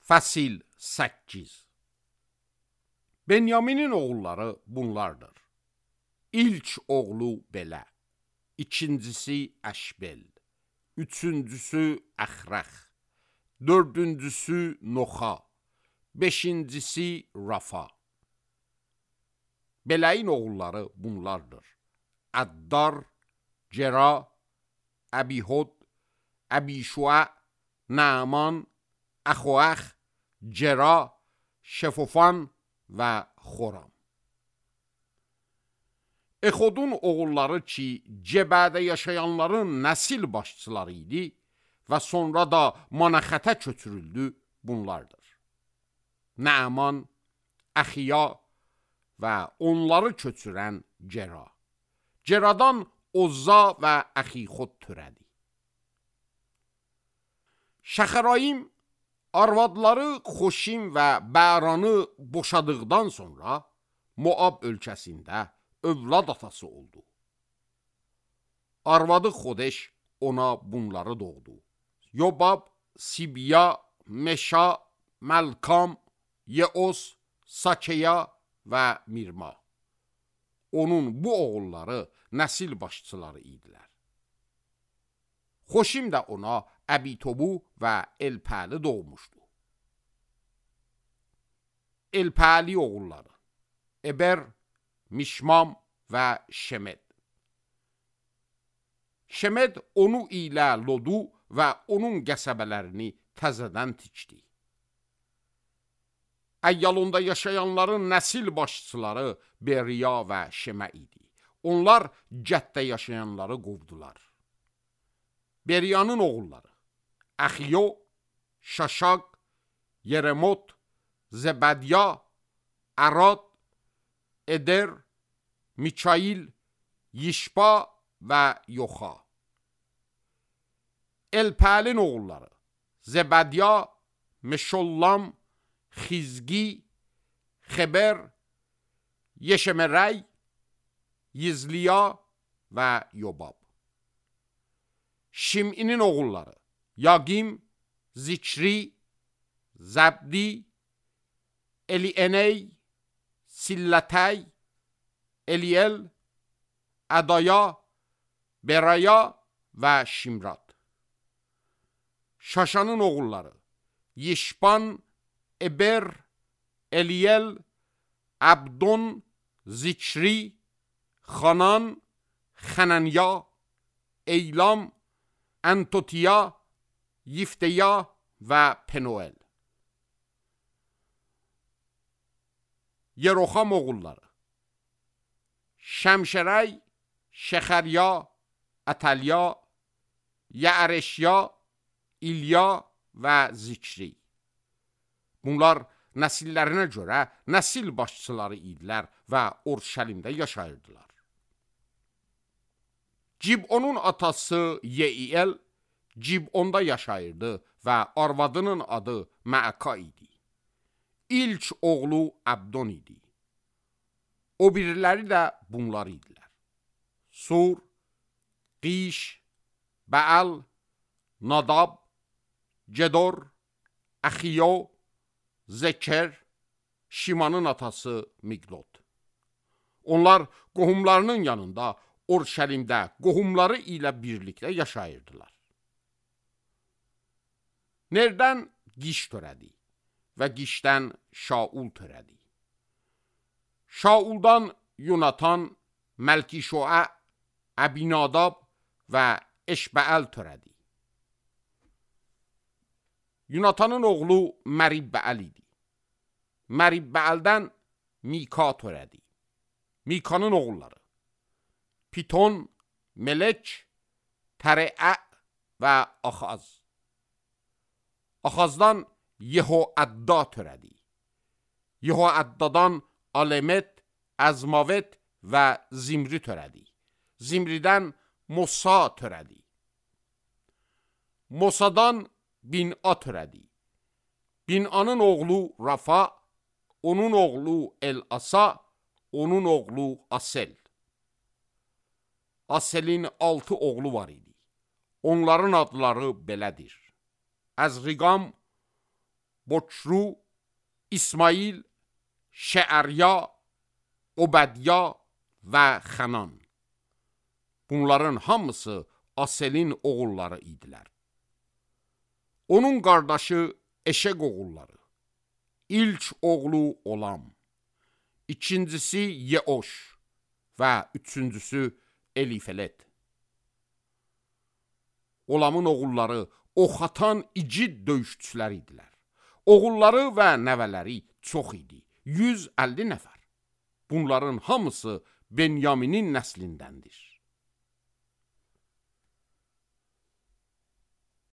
Fəsil 8. Benyaminin oğulları bunlardır. İlk oğlu belə, ikincisi Əşbel, üçüncüsü Əxrəx, dördüncüsü Noxa, beşincisi Rafa. Bələyin oğulları bunlardır. Əddar, Cera, Əbihud, Əbişua, Naaman, Əxoəx, Cera, Şefofan və Xoram. Exodun oğulları ki, Cebədə yaşayanların nəsil başçıları idi və sonra da Manaxətə köçürüldü, bunlardır. Naaman, Əxiya və onları köçürən Cera. Ceradan Ozza və Əxixod törədi. Şəxərayim arvadları Xoşim və Bəranı boşadıqdan sonra Moab ölkəsində övlad atası oldu. Arvadı Xodeş ona bunları doğdu. Yobab, Sibiya, Meşa, Məlkam, Yeos, Sakeya və Mirma. Onun bu oğulları nəsil başçıları idilər. Xoşim də ona Əbitobu və Elpəli doğmuşdu. Elpəli oğulları Eber, Mişmam və Şemed. Şemed onu ilə Lodu və onun qəsəbələrini təzədən tikdi. Əyyalonda yaşayanların nəsil başçıları Beriya və Şemə idi. Onlar Cəddə yaşayanları qovdular. Beriyanın oğulları Əxiyo, Şaşaq, Yeremot, Zebədya, Ərad, Eder, Mikail, Yişba və Yoxa. Elpəlin oğulları Zebədya, Meşollam, Xizgi, Xeber, Yeşemerəy, Yizliya və Yobab. Şiminin oğulları Yagim, Zikri, Zəbdi, Elieney, Sillətəy, Eliyel, Ədaya, Beraya və Şimrat. Şaşanın oğulları Yişban, Eber, Eliyel, Abdon, Zikri, Xanan, Xənənya, Eylam, Antotiya, Yifteya və Penuel. Yeroxam oğulları Şəmşərəy, Şəxərya, Ətəlya, Yəəreşya, İlya və Zikri. Bunlar nəsillərinə görə nəsil başçıları idilər və Orşəlimdə yaşayırdılar. Cibonun atası Yeiyel Cibonda yaşayırdı və arvadının adı Məəka idi. İlk oğlu Abdon idi. O biriləri də bunlar idilər. Sur, Qiş, Bəal, Nadab, Cedor, Əxiyo, Zeker, Şimanın atası Miqdod. Onlar qohumlarının yanında Orşəlimdə qohumları ilə birlikdə yaşayırdılar. Nerdən Qiş törədi və Qişdən Şaul törədi. Şauldan Yonatan, Məlkişoə, Əbinadab və Eşbəəl törədi. Yonatanın oğlu Məribbəəl idi. Məribbəəldən Mika törədi. Mikanın oğulları Piton, Melek, Tərəə və Axaz. Axazdan Yehoədda törədi. Yehoəddadan Alemet, Əzmavet və Zimri törədi. Zimridən Mosa törədi. Mosadan Bin'a törədi. Bin'anın oğlu Rafa, onun oğlu El-Asa, onun oğlu Asel. Aselin 6 oğlu var idi. Onların adları belədir. Əzriqam, Boçru, İsmail, Şəərya, Obədya və Xənan. Bunların hamısı Aselin oğulları idilər. Onun qardaşı Eşeq oğulları. İlk oğlu Olam, ikincisi Yeoş və üçüncüsü Elifelet. Olamın oğulları ox atan igid döyüşçülər idilər. Oğulları və nəvələri çox idi, 150 nəfər. Bunların hamısı Benyaminin nəslindəndir.